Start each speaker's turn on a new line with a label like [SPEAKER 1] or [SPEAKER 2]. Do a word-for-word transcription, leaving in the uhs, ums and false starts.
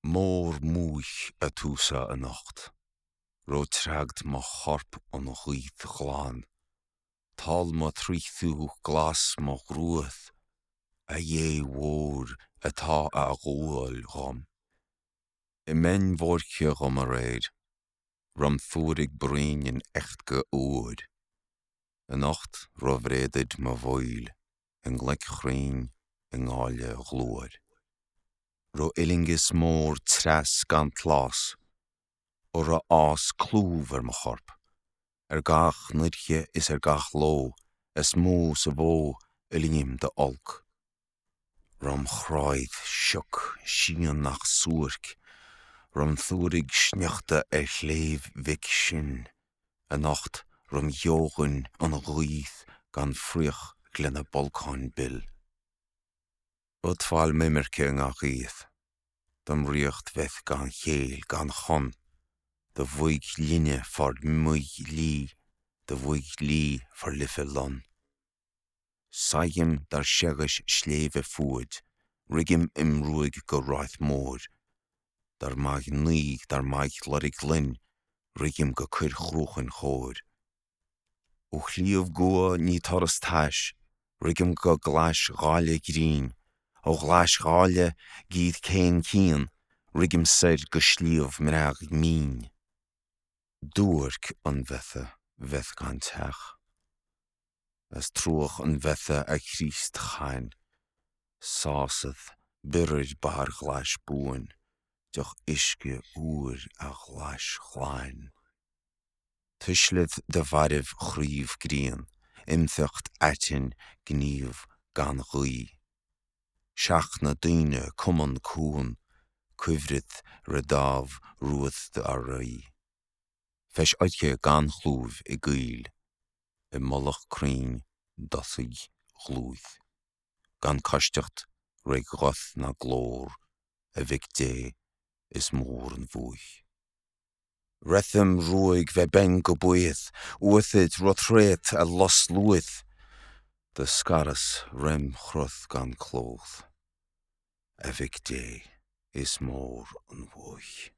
[SPEAKER 1] Mór m'fhuath atúsa anocht, ro treagd mo chorp an ghaoth ghlan, Tál mo thríothú glas mo ghruath, a Dhé mhóir atá á ghabháil dhom. I mbeinn bhoirche dhom aréir, rom fuaraigh braon in echtga uair, Anocht ro bhréadaid mo bhaol i ngloic chruinn i ngáile ghlóir. Ro fhuilingis mór treas gan tlás, ó ro fhás clúmh ar mo chorp, Ar gach noirche is ar gach ló, is mó sa mhó fhuilingim d'olc. Rom chráidh sioc síon nach suairc, rom thuaraigh sneachta ar Shléibh Mhic Sin, Anocht rom gheobhain an ghaoth gan fraoch lena bolcáin bil. Utbhail m'imirce i ngach aoth, dom ríocht bheith gan chéill gan chon, Do mhaigh linne fár maigh lí, do mhaigh lí fár life lon. Saighim dar seghais sléibhe fuaid, righim im ruaig go Ráith Móir, Dar maigh naoi dar maigh Loirg Loinn, righim go Coir Chruachain chóir. Ó shliabh gcua ní turas tais, righim go glais gháile ghrinn, Ó ghlais gháile gíd céin cian, righim soir go sliabh mbreagh mín. Duairc an bheatha bheith gan teach, As truagh an bheatha a Chríost chain, Sásad biorair barr ghlais buain, deoch uisce úir a ghlais ghlain. Tuislid do mhairbh chraobh grian, imtheacht aitinn gníomh gan ghuí. Seachnadh daoine cumann cuan, cuibhread re dámh ruad ár rí. Feis oidhche gan chlúimh i gcoill, i mullach crainn dtosaigh dhlúith, gan coisteacht ré ghuth ná glór, a Mhic Dé, is mór an bhuaidh. Retham ruaig bheith binn go baoth, uathaid ro-thréat a lus luaith, do scaras rem chruth gan clódh, a Mhic Dé, is mór an bhuaidh.